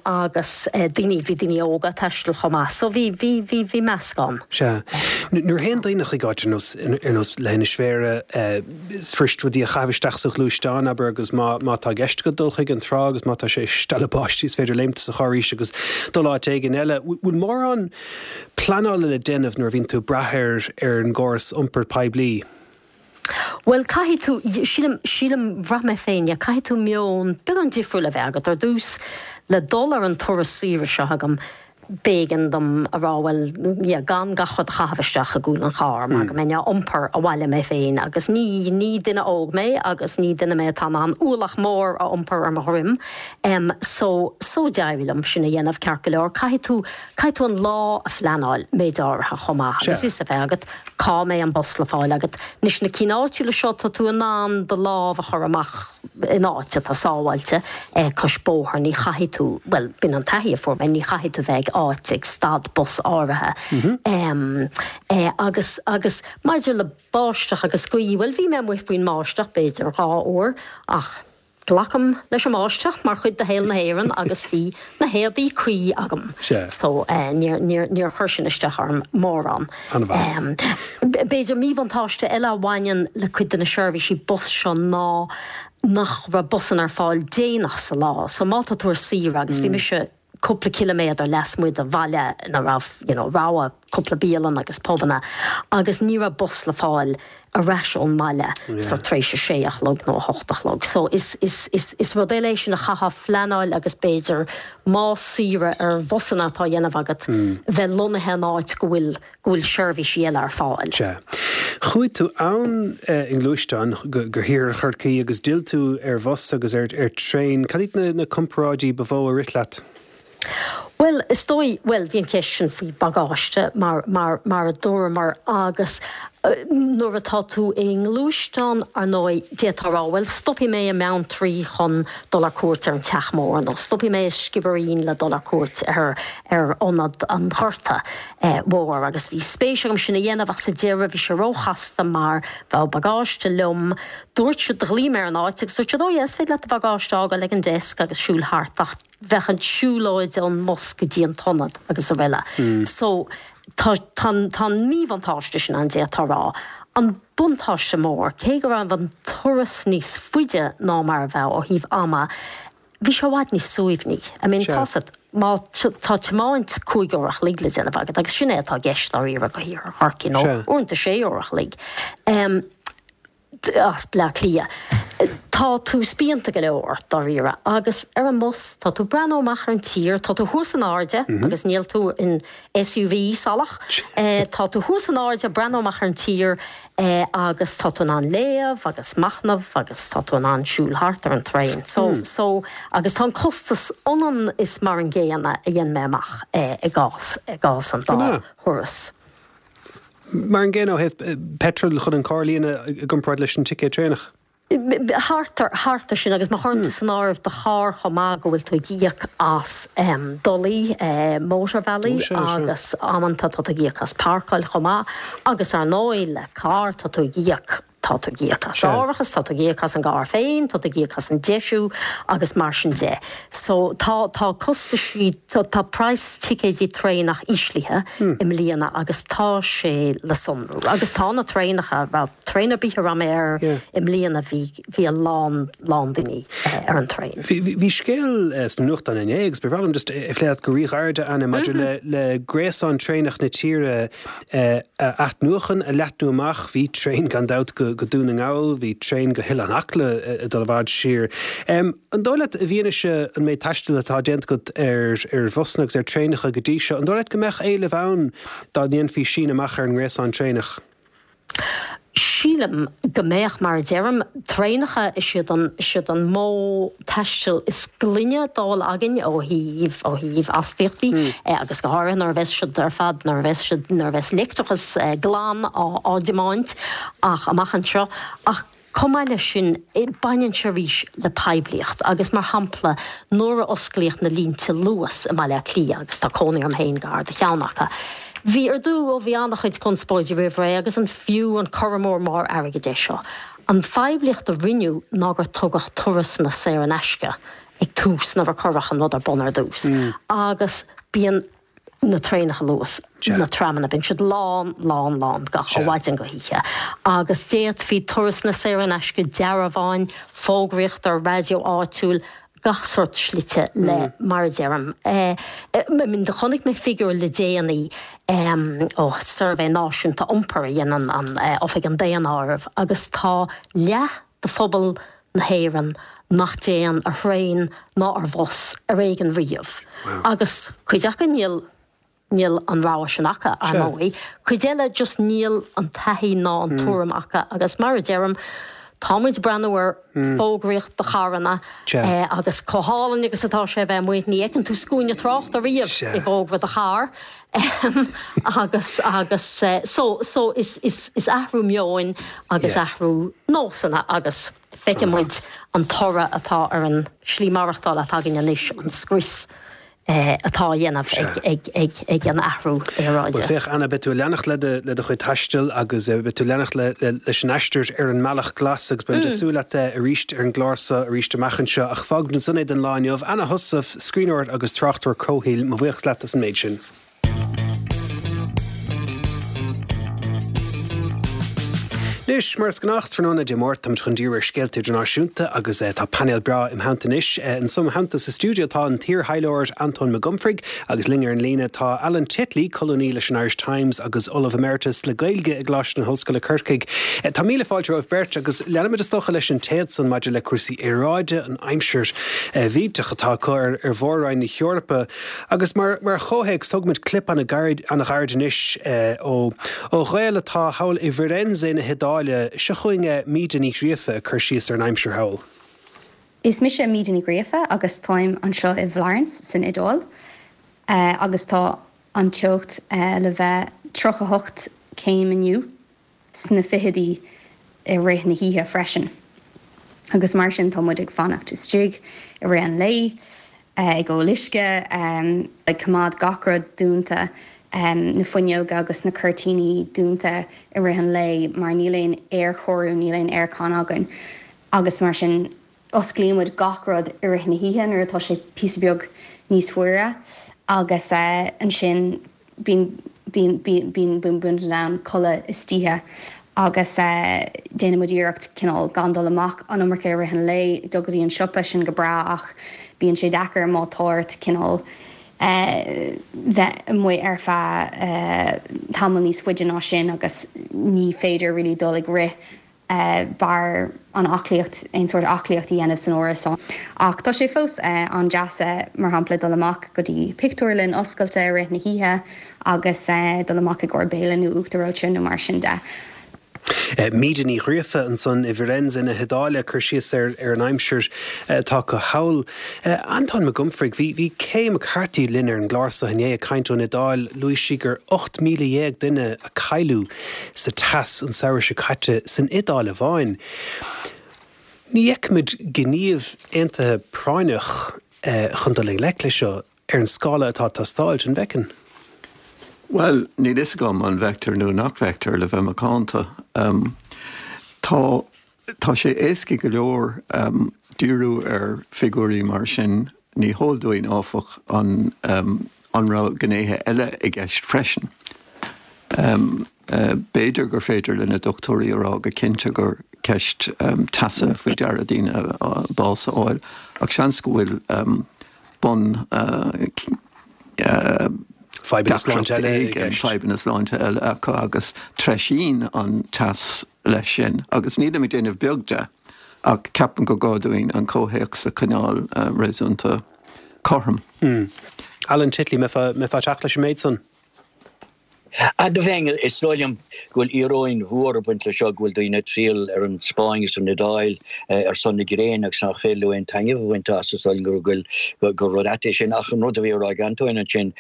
agus daoine bhí daoine óga ag taisteal chomh maith so bhí bhí bhí bhí meascán. Sea. Nuair a théann daoine chuig áit ar nós ar nós Leithinis Bhéarra, is fuirist rudaí a chaitheamh isteach sa ghluaisteán, abair, agus má má tá i gceist agat dul chuig an trá agus má tá sé ag stealladh báistí is féidir léimt sa charr arís agus dul áit éigin eile. Bhfuil mórán pleanála le déanamh nuair a bhíonn tú ag brath ar ar an gcóras iompair poiblí? Bhuel, caithfidh tú, sílim, sílim, bhraith mé féin, yeah, caithfidh tú meon beagán difriúil a bheith agat ar dtús le dul ar an turas saoire seo agam. B'éigean dom a rá, bhuel, yeah, gan gach rud a chaitheamh isteach i gcúl an chairr mar go mbeinn á iompar abhaile mé féin agus ní, ní duine óg mé agus ní duine mé atá in ann ualach mór a iompar ar mo dhroim. Em, so, so d'éirigh liom sin a dhéanamh ceart go leor. Caithfidh tú, caithfidh tú an lá a phleanáil méid áirithe chomh maith agus fios a bheith agat cá mbeidh an bus le fáil agat. Anois na cinn áitiúla seo tá tú in ann do lámh a chur amach in áit atá sábháilte cois bóthair, ní chaithfidh tú, bhuel, b'in an taithí a fuair mé, ní chaithfidh tú bheith ag áit, ag stad bus áirithe. Agus, agus maidir le báisteach agus gaoth, bhuel, bhí mé amuigh faoin mbáisteach b'fhéidir dhá uair ach glacaim leis an mbáisteach mar chuid de shaol na hÉireann agus bhí na héadaí cuí agam so níor, níor, níor chuir sin isteach orm mórán. B'fhéidir míbhuntáiste eile a bhaineann le cuid de na seirbhísí bus seo ná nach raibh busanna ar fáil déanach sa lá so má tá tú ar saoire agus bhí mise cúpla ciliméadar lasmuigh de bhaile ina raibh you know rogha cúpla bialann agus pubanna agus ní raibh bus le fáil ar ais ón mbaile so tar éis a sé a chlog nó a hocht a chlog. So is is is is rud eile é sin a chaithfeá phleanáil agus b'fhéidir más saoire ar bhusanna atá á dhéanamh agat bheith lonnaithe in áit go bhfuil go bhfuil seirbhísí eile ar fáil. Sea. Chuaigh tú ann i ngluaisteán go go hIarthar Chorcaí agus d'fhill tú ar bhus agus ar ar traein. Cad iad na na comparáidí ba mhó a rith leat? Bhuel, is dóigh, bhuel, bhí an cheist sin faoi bagáiste mar, mar, mar a dúramar agus nuair atá tú i ngluaisteán, ar ndóigh, d'fhéadfá a rá, bhuel, stopfaidh mé i mBeanntraí chun dul ar cuairt ar an Teach Mór nó stopfaidh mé i Sciobairín le dul ar cuairt ar, ar Ionad an Ghorta Mhóir agus bhí spéis agam sin a dhéanamh ach sa deireadh bhí sé róchasta mar bheadh bagáiste liom. Dúirt siad, ghlaoigh mé ar an áit agus dúirt siad, oh yeah, is féidir leat do bhagáiste a fhágáil ag an desk agus siúl thart ach bheadh an tsiúlóid ón mbus go dtí an t-ionad agus araile. So tá tá tá an míbhuntáiste sin ann d'fhéadfá a rá. An buntáiste mór, cé go raibh an turas níos faide ná mar a bheadh ó thaobh ama, bhí sé i bhfad níos suaimhní. I mean tá 's agat, má tá tiomáint cúig uair a chloig le déanamh agat, agus sin é atá i gceist dáiríre go hIarthar Chorcaí, nó uaireanta sé uair a chloig, as Bleá Cliath. Tá tú spíonta go leor, dáiríre, agus ar an mbus, tá tú ag breathnú amach ar an tír, tá tú thuas in airde agus níl tú in SUV salach, tá tú thuas in airde ag breathnú amach ar an tír agus tá tú in ann léamh agus machnamh agus tá tú in ann siúl thart ar an traein. So, so, agus tá an costas ionann is mar an gcéanna a dhein mé amach i gcás, i gcás an dá thuras. Mar an gcéanna ó thaobh petrol chun an carr a líonadh i gcomparáid leis an ticéad traenach? Thart ar, thart ar sin agus má chuireann tú san áireamh do charr chomh maith go bhfuil tú ag íoc as dolaí, mótarbhealaí agus amanta tá tú ag íoc as páirceáil chomh maith agus ar ndóigh le carr tá tú ag íoc Tá tú ag íoc as árachas, tá tú ag íoc as an gcarr féin, tá tú ag íoc as an deisiú agus mar sin de. So tá, tá costaisí, tá, tá praghas ticéidí traenach íslithe i mbliana agus tá sé le sonrú. Agus tá na traenacha, raibh traein ar bith a raibh mé air i mbliana bhí, bhí a lán, lán daoine ar an traein. Bhí, bhí, bhí scéal sna nuachtáin inné agus ba bhreá liom just é a phlé leat go ríghairid, Anna, maidir le, le gréasán traenach na tíre a athnuachan, a leathnú amach. Bhí traein gan dabht go Dún na nGall, bhí traein go hOileán Acla ag dul i bhfad siar. An dóigh leat, i bhfianaise an méid taistil atá déanta agat ar ar bhusanna agus ar traenacha go dtí seo, an dóigh leat go mbeadh éileamh ann dá ndéanfaí síneadh amach ar an ngréasán traenach? Sílim go mbeadh, mar a deirim, traenacha, is iad an, is iad an modh taistil is glaine dá bhfuil againn ó thaobh, ó thaobh astaíochtaí agus go háirithe nuair a bheas siad ar fad, nuair a bheas siad, nuair a bheas leictreachas glan á, á dtiomáint ach amach anseo. Ach chomh maith leis sin, baineann sé arís le poiblíocht agus mar shampla nuair a osclaíodh na línte Luas i mBaile Átha Cliath, agus tá cónaí orm féin gar do cheann acu, Bhí ar dtús, ó bhí an-chuid conspóide roimh ré agus an fiú an cur amú mór airgid é seo. An phoiblíocht a rinneadh ná gur tugadh turasanna saor in aisce ag tús nuair a cuireadh an rud ar bun ar dtús. Agus bíonn na traenacha Luas, na tramanna, bíonn siad lán, lán, lán gach ó mhaidin go hoíche. Agus d'fhéadfaí turasanna saor in aisce, dearbháin, fógraíocht ar raidió áitiúil, gach sórt slite le, mar a deirim, do chonaic mé figiúr le déanaí ó Suirbhé Náisiúnta Iompair a dhéanann an Oifig an Daonáirimh agus tá leath de phobal na hÉireann nach dtéann ar thraein ná ar bhus ar éigean riamh. Agus cuid acu níl níl an rogha sin acu, ar ndóigh. Cuid eile just níl an taithí ná an tuairim acu agus mar a deirim, tá muid ag breathnú ar fógraíocht do charranna agus chomh hálainn agus atá sé a bheith amuigh, ní fheiceann tú scuaine tráchta riamh i bhfógra do charr agus agus so so is is is athrú meoin agus athrú nósanna agus feiceann muid an toradh atá ar an slí maireachtála atá againn anois, an scrios. atá á dhéanamh ag an athrú aeráide. Bhuel, féach, Anna, beidh tú ag leanacht le do chuid taistil agus beidh tú ag leanacht leis an aistear ar an mbealach glas agus beimid ag súil leat arís ar an gclár seo arís amach anseo. Ach fágfaimid ansan é don lá inniu. Anna Heussaff, scríbhneoir agus tráchtaire comhshaoil, mo bhuíochas leat as an méid sin. Anois, mar is gnách, tráthnóna Dé Máirt, táimid chun díriú ar scéalta idirnáisiúnta agus tá painéal breá im theannta anois. Anso im theannta sa stiúideo tá an t-iar-thaidhleoir Antóin Mac Gomfraigh agus linn ar an líne tá Alan Titley, colúnaí leis an Irish Times agus Ollamh Emeritus le Gaeilge i gColáiste na hOllscoile Corcaigh. Tá míle fáilte romhaibh beirt agus leanfaimid is dócha leis an téad san maidir le cúrsaí aeráide, an aimsir mhillteach atá acu ar mhór-roinn na hEorpa agus mar chomhthéacs tógfaimid clip an-ghairid anois ó Ghael atá thall i bhFirenze na hIodáile. Seo chugainn Míde Ní Ghríofa ag cur síos ar an aimsir thall. Is mise Míde Ní Ghríofa agus táim anseo i bhFlorence san Iodáil agus tá an teocht le bheith tríocha hocht céim inniu. sna fichidí i rith na hoíche freisin. Agus mar sin tá muid ag fanacht istigh i rith an lae, ag ól uisce, ag coimeád gach rud dúnta, na fuinneoga agus na cuirtíní dúnta i rith an lae mar níl aon aerchóiriú, níl aon aircon againn agus mar sin osclaíonn muid gach rud i rith na hoíche nuair atá sé píosa beag níos fuaire agus ansin bíonn bíonn bíonn bíonn bíonn muid in ann codladh istoíche agus déanann muid iarracht cineál gan dul amach an iomarca i rith an lae, dul go dtí an siopa, sin go breá ach bíonn sé deacair má tá ort cineál bheith amuigh ar feadh tamall níos faide ná sin agus ní féidir really dul ag rith b'fhearr an aclaíocht, aon sórt aclaíocht a dhéanamh san árasán. Ach tá sé fós an-deas, mar shampla, dul amach go dtí pictiúrlann oscailte i rith na hoíche agus dul amach i gcomhair béile nó uachtar reoite nó mar sin de. Míde Ní Ghríofa ansan i bhFirenze na hIodáile ag cur síos ar ar an aimsir atá acu thall. Antóin Mac Gomfraigh, bhí bhí Kay McCarthy linn ar an gclár seo inné ag caint ón Iodáil. Luaigh sí gur ocht míle dhéag duine a cailleadh sa teas an samhradh seo caite san Iodáil amháin. Ní fheicimid gníomh aontaithe práinneach chun dul i ngleic leis seo ar an scála atá ag teastáilt, an bhfeiceann? Bhuel, níl fhios agam an bhfeictear nó nach bhfeictear, le bheith macánta. Tá, tá sé éasca go leor díriú ar figiúirí mar sin. Ní heol dúinn, áfach, an, an raibh gnéithe eile i gceist freisin. B'fhéidir gur féidir le na dochtúirí a rá go cinnte gur ceist teasa faoi deara daoine bás a fháil, ach seans go bhfuil bun Fadhbanna sláinte eile i gceist. Fadhbanna sláinte eile acu agus treisíonn an teas leis sin. Agus nílim ag déanamh beag de, ach ceapaim gur gá dúinn an comhthéacs a choinneáil réasúnta cothrom. Alan Titley, mbeifeá ag teacht leis an méid san? Ah, do bheinn. Is dóigh liom go bhfuil íoróin mhór ag baint leis seo, go bhfuil daoine ag triall ar an Spáinn agus an Iodáil ar son na gréine agus nach féidir leo aon taitneamh a bhaint as. Is dóigh liom go bhfuil gur rud ait é sin. Ach an rud a bhí á rá ag Antóin ansin,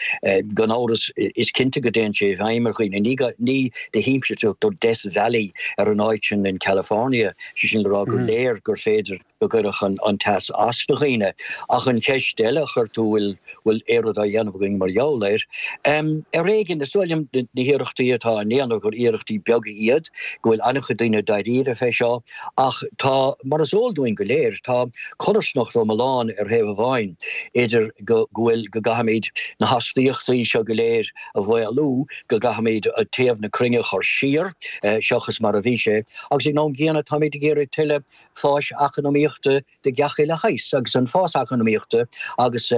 gan amhras, is cinnte go dtéann sé i bhfeidhm ar dhaoine. Ní ní de thimpiste a tugtar Death Valley ar an áit sin in California, sé sin le rá gur léir gur féidir go gcuirfeadh an teas as do dhaoine. Ach an cheist eile a chuir tú, bhfuil bhfuil aon rud á dhéanamh againn mar gheall air? Ar éigean, is dóigh liom na hiarrachtaí atá á ndéanamh gur iarrachtaí beaga iad, go bhfuil an-chuid daoine dáiríre fé seo, ach tá, mar is eol dúinn go léir, tá codarsnacht iomlán ar thaobh amháin idir go bhfuil, go gcaithfimid na hastaíochtaí seo go léir a mhaolú, go gcaithfimid téamh na cruinne a chur siar seachas mar a bhí sé, agus ag an am gcéanna táimid ag iarraidh tuilleadh fáis eacnamaíochta de gach uile shaghas, agus an fás eacnamaíochta agus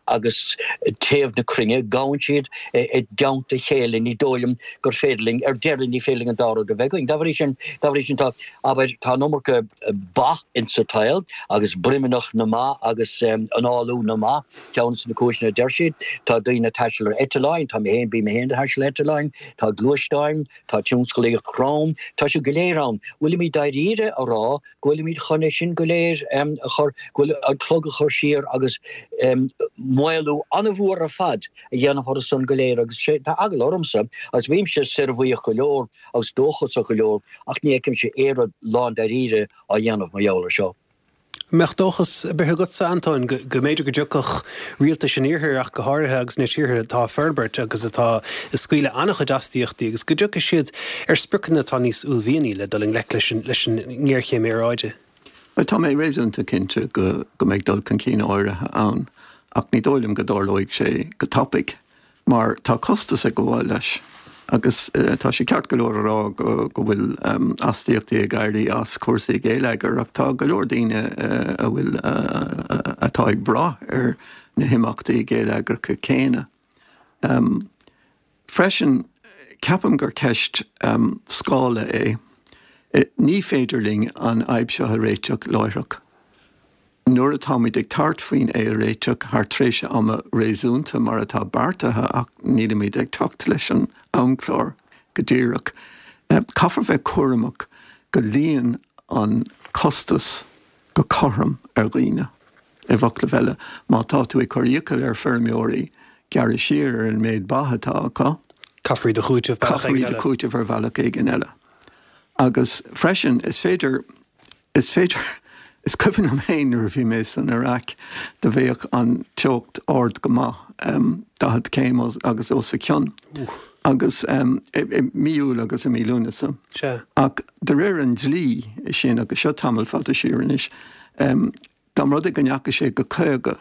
agus téamh na cruinne, gabhann siad i dteannta a chéile, ní dóigh liom gur féidir linn, ar deireadh, ní féidir linn an dá rud a bheith againn. Dá bhrí sin, dá bhrí sin tá, abair, tá an iomarca ba insa tsaol agus broimneach na mba agus análú na mba, ceann de na cúiseanna a deir siad, tá daoine ag taisteal ar eitleáin, tá mé féin, bím mé féin ag taisteal ar eitleáin, tá gluaisteáin, tá tionsclaíocht throm, tá siad go léir ann. Bhfuilimid dáiríre a rá go bhfuilimid chun é sin go léir a chur, go bhfuil an clog a chur siar agus maolú an-mhór ar fad a dhéanamh orthu san go léir agus sé, tá eagla ormsa agus bímse soirbhuíoch go leor agus dóchasach go leor ach ní fheicimse aon rud lándáiríre á dhéanamh mar gheall air seo. An mbeadh dóchas ar bith agatsa, Antóin, go mb'fhéidir go dtiocfadh rialtais an Iarthair ach go háirithe agus na tíortha atá ag forbairt agus atá ag scaoileadh an-chuid astaíochtaí agus go dtiocfaidh siad ar spriocanna atá níos uaillmhianaí le dul i ngleic leis an leis an ngéarchéim aeráide? Bhuel, tá mé réasúnta cinnte go go mbeidh dul chun cinn áirithe ann, ach ní dóigh liom go dtarlóidh sé go tapaidh. mar tá costas ag gabháil leis agus tá sé ceart go leor a rá go bhfuil astaíochtaí ag éirí as cúrsaí geilleagair ach tá go leor daoine a bhfuil atá ag brath ar na himeachtaí geilleagracha céanna. Freisin, ceapaim gur ceist scála é. Ní féidir linn an fhadhb seo a réiteach láithreach. Nuair atáimid ag tabhairt faoin é a réiteach thar tréimhse ama réasúnta mar atá beartaithe ach nílimid ag teacht leis an amchlár go díreach, caithfear bheith cúramach go luíonn an costas go cothrom ar dhaoine. I bhfoclaibh eile, má tá tú ag cur iachall ar feirmeoirí gearradh siar ar an méid ba atá acu, Caithfear iad a chúiteamh bealach caithfear éigin iad a eile. chúiteamh ar bhealach éigin eile. Agus freisin, is féidir, is féidir, is cuimhin liom féin nuair a bhí mé san Iaráic, do bheadh an teocht ard go maith, daichead céim agus os a cionn, agus i mí Iúil agus i mí Lúnasa. Sea. Ach de réir an dlí sin, agus seo tamall fada siar anois, dá mba rud é go ndeachaigh sé go caoga,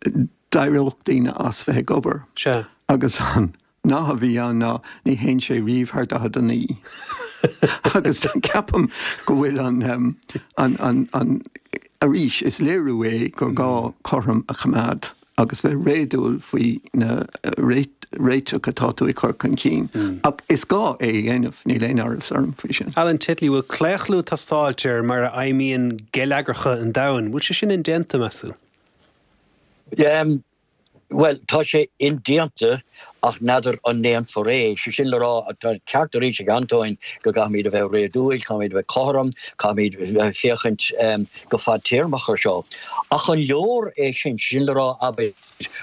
d'éireodh daoine as bheith ag obair. Sea. Agus an nath a bhí ann ná ní théann sé riamh thar daichead a naoi. Agus ceapaim go bhfuil an, an, an, an, arís, is léiriú é gur gá cothrom a choimeád agus bheith réadúil faoi na réiteach atá tú ag cur chun cinn. Ach is gá é a dhéanamh, níl aon amhras orm faoi sin. Alan Titley, bhfuil claochlú ag teastáilt ar mar a fheidhmíonn geilleagracha an domhain? Bhfuil sé sin indéanta, meas tú? Bhuel, tá sé indéanta ach n'fheadar an ndéanfar é. Sé sin le rá, tá an ceart arís ag Antóin go gcaithfimid a bheith réadúil, caithfimid a bheith cothrom, caithfimid a bheith ag féachaint go fadtéarmach ar seo. Ach an leor é sin? Sé sin le rá, abair,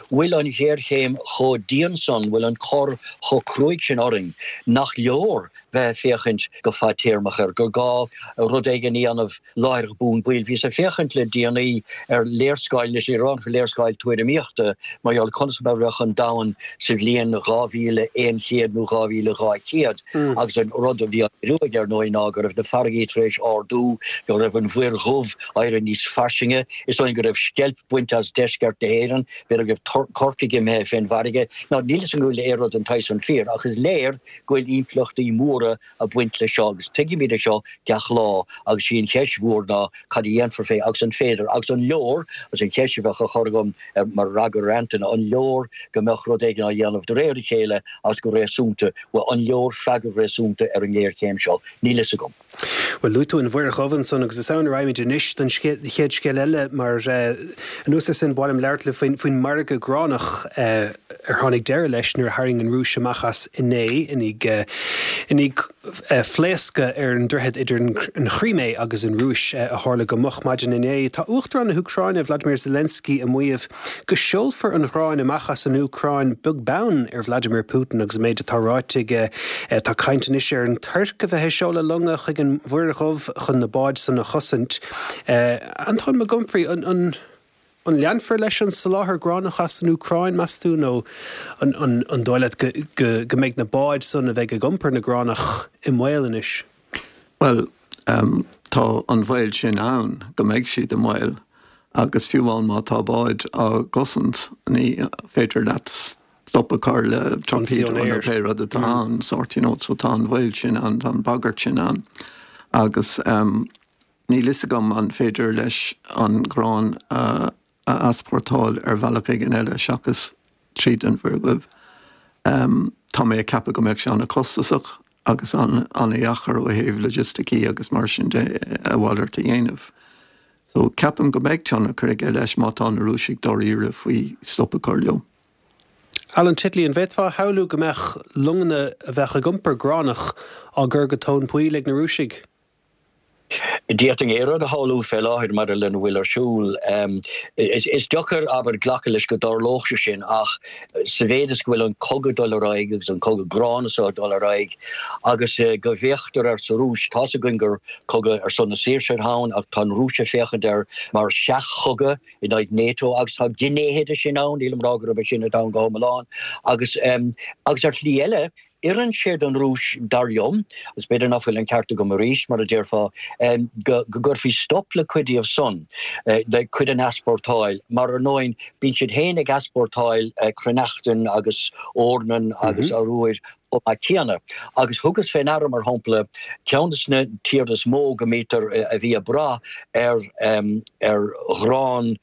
bhfuil an ghéarchéim chomh dian san, bhfuil an cor chomh cruaidh sin orainn nach leor bheith ag féachaint go fadtéarmach air, gur gá rud éigin a dhéanamh láithreach bonn baill. Bhíos ag féachaint le déanaí ar léarscáil, anois ní raibh ach léarscáil tuairimíochta mar gheall conas mar a bheadh an domhan sa bhliain dhá mhíle aon chéad nó dhá mhíle dhá chéad agus an rud a bhí á léiriú aige ar ndóigh ná go raibh na farraigí tar éis ardú, go raibh an Mhuir Dhubh éirithe níos fairsinge, is dóigh go raibh sceilp bainte as deisceart na hÉireann, b'fhéidir go raibh Corcaigh imithe fén bhfarraige. Now níl 'fhios agam go bhfuil aon rud den tsaghas san fíor ach is léir go bhfuil impleachtaí móra ag baint leis seo agus tuigimid é seo gach lá agus sí an cheist mhór ná cad a dhéanfar fé agus an féidir agus an leor agus an cheist a bheadh á chur agam mar fhreagra ar Antaine an leor go mbeadh rud éigin á dhéanamh de réir a chéile agus go réasúnta, bhuel an leor freagra réasúnta ar an ngéarchéim seo? Níl fhios agam. Bhuel, luaigh tú an Mhuir Dhubh ansan agus is ann a raghaimid anois don chéad scéal eile mar anuas air sin ba mhaith liom labhairt libh faoin margadh gránach ar tháinig deireadh leis nuair a tharraing an Rúis amach as inné i ndiaidh phléascadh ar an droichead idir an Chrímé agus an Rúis a tharla go moch maidin inné. Tá Uachtarán na hÚcráine Vladimir Zelensky ag maíomh go seolfar an ghráin amach as an Úcráin beag beann ar Vladimir Putin agus an méid atá ráite aige. Tá caint anois ar an Tuirc a bheith ag seoladh longa chuig an Mhuir Dhubh chun na báid san a chosaint. Antóin Mac Unfraidh, an an leanfar leis an soláthar gránach as an Úcráin, meas tú, nó an dóigh leat go go mbeidh na báid san a bheidh ag iompar na gránach i mbaol anois? Bhuel, tá an baol sin ann go mbeidh siad i mbaol agus fiú amháin má tá báid á gcosaint ní féidir leat stop a chur le torpedo nó pé rud atá ann, sort, you know, so tá an baol sin ann, tá an bhagairt sin ann agus níl fhios agam an féidir leis an ghrán a a easpórtáil ar bhealach éigin eile seachas tríd an Mhuir Dhubh. Tá mé ag ceapadh go mbeadh sé an-chostasach agus an-dheacair ó thaobh logisticí agus mar sin de a mhalairt a dhéanamh. So ceapaim go mbeidh tionchar aige leis má tá na Rúisigh dáiríre faoi stop a chur leo. Alan Titley, an bhféadfá a shamhlú go mbeadh longanna a bheadh ag iompar gránach á gcur go tóin poill ag na Rúisigh? D'fhéadfainn aon rud a shamhlú fé láthair maidir lena bhfuil ar siúl. Is deacair, abair, glacadh leis go dtarlódh sé sin ach sa mhéid is go bhfuil an cogadh ag dul ar aghaidh agus an cogadh gránna seo ag dul ar aghaidh agus go bhféachtar air sa Rúis, tá's againn gur cogadh ar son na saoirse atá ann ach tá an Rúis ag féachaint air mar sheach-chogadh in aghaidh NATO agus tá gnéithe de sin ann, nílim ag rá gurb é sin atá ann go hiomlán agus agus ar shlí eile, Oireann sé don Rúis, dar liom, agus b'fhéidir nach bhfuil an ceart agam arís, mar a déarfá, go gcuirfí stop le cuid díobh san, le cuid den easpórtáil, mar ar ndóigh bíonn siad féin ag easpórtáil cruithneachtan agus eornan agus arbhar chomh maith céanna. Agus thugas fé ndeara, mar shampla, ceann de na tíortha is mó go mbítear, a bhí ag brath ar ar ghrán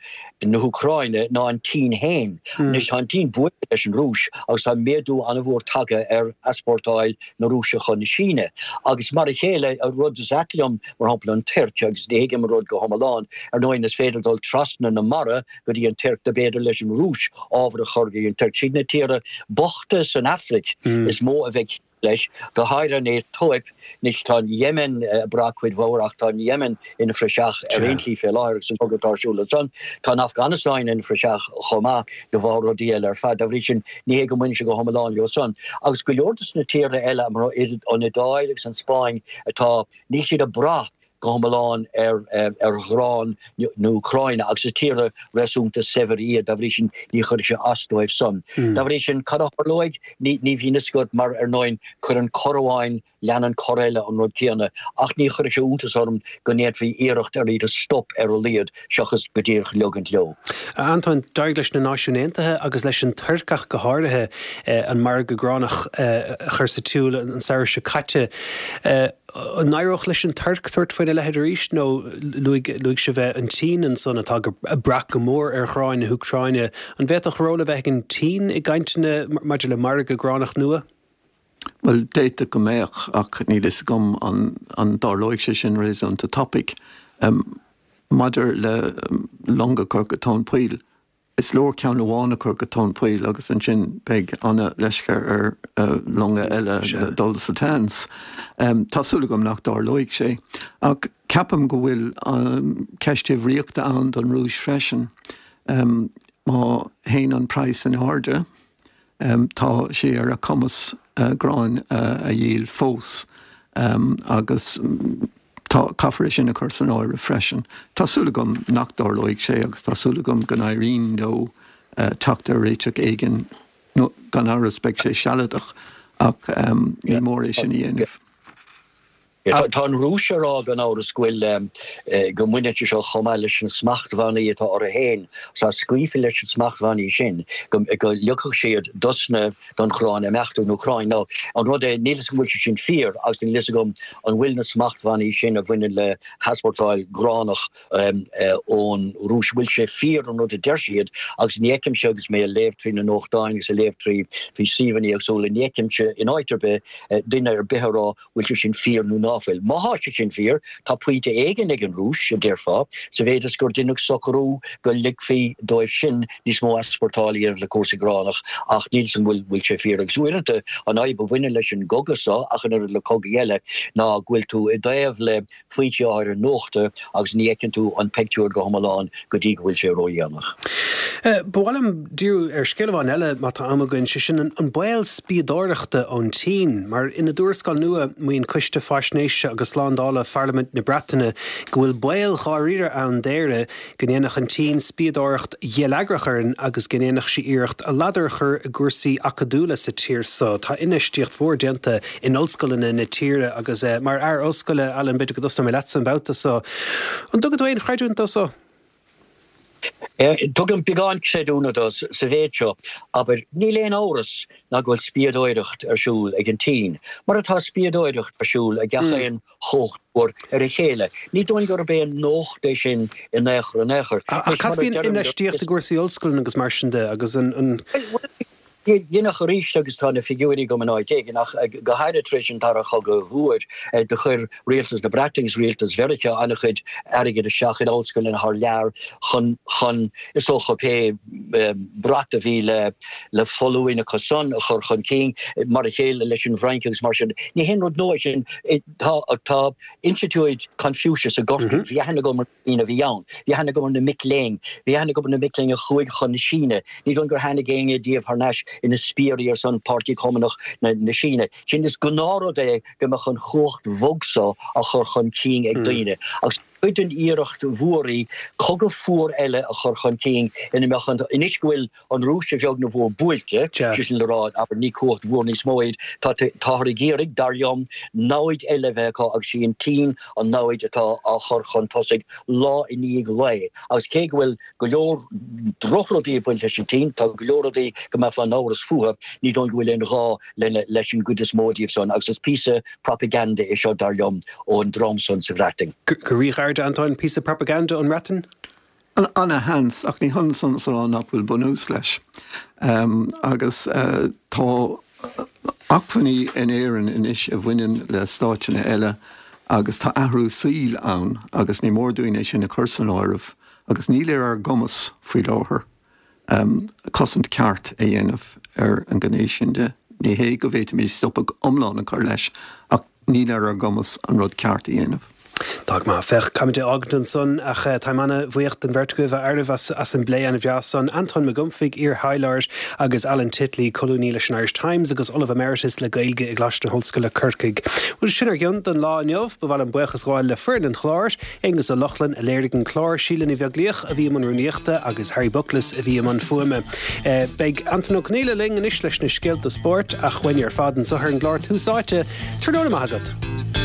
na hÚcráine ná an tSín féin. Anois tá an tSín buailte leis an Rúis agus tá méadú an-mhór tagtha ar easpórtáil na Rúise chun na Síne. Agus mar a chéile, rud is ait liom, mar shampla an Tuirc, agus ní thuigim an rud go hiomlán, ar ndóigh is féidir dul trasna na mara go dtí an Tuirc, dob fhéidir leis an Rúis ábhar a chur go dtí an Tuirc. Siad na tíortha bochta san Afraic is mó a bheidh leis, go háirithe an Aetóip. Anois tá an Yemen ag brath cuid mhór ach tá an Yemen ina phraiseach ar aon tslí fé láthair agus an cogadh atá ar siúl ansan. Tá an Afganastáin ina phraiseach chomh maith de bharr rudaí eile ar fad. Dá bhrí sin ní hé go mbaineann sé go hiomlán leo san. Agus go leor de na tíortha eile, an Iodáil agus an Spáinn atá, níl siad ag brath go hiomlán ar ar ghrán na Úcráine agus is tíortha réasúnta saibhir iad, dá bhrí sin ní chuirfidh sé as dóibh san. Dá bhrí sin, cad a tharlóidh? Ní ní bhíonn fhios agat mar ar ndóigh cuireann cor amháin, leanann cor eile an rud céanna ach ní chuirfeadh sé iontas orm go ndéanfaí iarracht ar iad a stop ar a laghad seachas go díreach leogaint leo. A Antóin, d'éirigh leis na Náisiúin Aontaithe agus leis an Tuirc ach go háirithe an margadh gránach a chur sa tsiúl an samhradh seo caite. An éireodh leis an Tuirc tabhairt faoina leithéid arís nó luaigh luaigh sibh an tSín ansan atá ag brath go mór ar ghráin na hÚcráine. An bhféadfadh ról a bheith ag an tSín i gcainteanna maidir le margadh gránach nua? Bhuel, d'fhéadfadh go mbeadh ach níl fhios agam an an dtarlóidh sé sin réasúnta tapaidh. Maidir le longa a chur go tóin poill, Is leor ceann amháin a chur go tóin poill agus ansin beidh an-leisce ar longa eile dul sa tseans. Tá súil agam nach dtarlóidh sé. Ach ceapaim go bhfuil ceist uimhríochta ann don Rúis freisin. Má théann an praghas in airde, Tá sé ar a cumas gráin a dhíol fós agus tá, caithfear é sin a chur san áireamh freisin. Tá súil agam nach dtarlóidh sé agus tá súil agam go n-éiríonn leo teacht ar réiteach éigin, nó gan amhras beidh sé sealadach ach ní mór é sin a dhéanamh. Tá an Rúis ag rá gan amhras go bhfuil, go mbaineann sé seo chomh maith leis na smachtbhannaí atá orthu féin, agus dá scaoilfí leis na smachtbhannaí sin go ligfeadh siad dos na, don ghrán imeacht ón Úcráin. Now, an rud é, níl 'fhios agam an bhfuil sé sin fíor agus níl 'fhios agam an bhfuil na smachtbhannaí sin a bhaineann le heaspórtáil gránach ón Rúis, an bhfuil sé fíor an rud a deir siad agus ní fheicimse agus mé ag léamh trí na nuachtáin agus ag léamh trí trí suíomhanna éagsúla, ní fheicimse in áit ar bith duine ar bith ag rá bhfuil sé sin fíor nó ná ná fuil. Má thá sé sin fíor, tá pointe éigin ag an Rúis, a déarfá, sa mhéid is gur deineadh socrú go ligfí dóibh sin níos mó easpórtáil a dhéanamh le cúrsaí gránach, ach níl 's agam an bhfuil sé fíor. Agus uaireanta, an fhadhb a bhaineann leis an gcogadh so, ach an oiread le cogaí eile, ná go bhfuil tú i dtaobh le foinsí áirithe nuachta agus ní fheiceann tú an pictiúr go hiomlán go dtí go bhfuil sé ródhéanach. Ba mhaith liom díriú ar scéal amháin eile má tá am againn, sé sin an baol spiadóireachta ón tSín. Mar ina dtuarascáil nua, maíonn Coiste Faisnéise agus Slándála Pharlaimint na Breataine go bhfuil baol dháiríre ann d'Éire go ndéanfadh an tSín spiadóireacht gheilleagrach orainn agus go ndéanfadh sí iarracht a ladar a chur i gcúrsaí acadúla sa tír so. Tá infheistíocht mhór déanta in ollscoileanna na tíre agus mar fhear ollscoile, Alan, b'fhéidir go dtosóidh mé leatsa an babhta so. An dtugann tú aon chreidiúint dó so? Tugaim beagán creidiúna dó sa mhéid seo, abair, níl aon amhras ná go bhfuil spiadóireacht ar siúl ag an tSín, mar atá spiadóireacht ar siúl ag gach aon chumhacht mhór ar a chéile. Ní dóigh gurb aon nuacht é sin in aon chor in aon chor. Ach cad faoin infheistíocht i gcúrsaí ollscoileanna agus mar sin de agus an. Deineadh arís agus tá na figiúirí agam in áit éigin ach go háirithe tar éis an Dara Chogadh Mhóir do chuir rialtas na Breataine agus rialtas Mheiriceá an-chuid airgid isteach in ollscoileanna thar lear chun chun is dócha pé brat a bhí le le foluain acu san a chur chun cinn mar a chéile leis an bhFrainc agus mar sin. Ní haon rud nua é sin. Tá tá Institiúid Confucius i gCorcaigh, bhí aithne agam ar na daoine a bhí ann, bhí aithne agam ar na mic léinn, bhí aithne agam ar na mic léinn a chuaigh chun na Síne. Ní dóigh gur tháinig éinne díobh thar n-ais ina spiairí ar son Páirtí Cumannach na Síne. Sin is gnáthrud é go mbeadh an chumhacht bhog so á chur chun cinn ag daoine. Agus cuid den iarracht mhór í cogadh fuar eile a chur chun cinn ina mbeadh an, anois go bhfuil an Rúis a bheag nó a mhór buailte, sé sin le rá, abair, ní cumhacht mhór níos mó iad, tá, táthar ag iarraidh, dar liom, namhaid eile a bheith acu agus sí an tSín an namhaid atá á chur chun tosaigh lá i ndiaidh lae. Agus cé go bhfuil go leor drochrudaí ag baint leis an tSín, tá go leor rudaí go mbeifeá in amhras fúthu, ní dóigh go bhfuil aon ghá lena, leis an gcuid is mó díobh san agus is píosa propaganda é seo, dar liom, ón dream san sa Bhreatain. Go ríghairid, Antóin, píosa propaganda ón mBreatain? Ana-sheans, ach ní hionann san is a rá nach bhfuil bunús leis. Agus tá acmhainní in Éirinn anois a bhaineann le stáiteanna eile agus tá athrú saoil ann agus ní mór dúinn é sin a chur san áireamh agus níl ar ár gcumas faoi láthair cosaint ceart a dhéanamh ar an ngné sin de. Ní hé go bhféadfaimis stopadh iomlán a chur leis ach níl ar ár gcumas an rud ceart a dhéanamh. Tá go maith. Féach, caithfimid é a fhágaint ansan ach táim ana-bhuíoch den bheirt agaibh, a fhearaibh, as as an bplé ana-bhreá san. Antóin Mac Gumfaigh, iar-thaidhleoir, agus Alan Titley, colúnaí leis an Irish Times agus Ollamh Emeritus le Gaeilge i gColáiste na hOllscoile, Corcaigh. Bhuel, sin ár gcion don lá inniu. Ba mhaith liom buíochas a ghabháil le foireann an chláir, Aonghus Ó Lochlainn a léirigh an clár, Síle Ní Bheaglaoich a bhí i mbun rúnaíochta agus Harry Buckles a bhí i mbun fuaime. Beidh Antain Ó Conghaile linn anois leis na scéalta spóirt ach uainne ar fad anseo ar an gclár Tús Áite. Tráthnóna maith agat.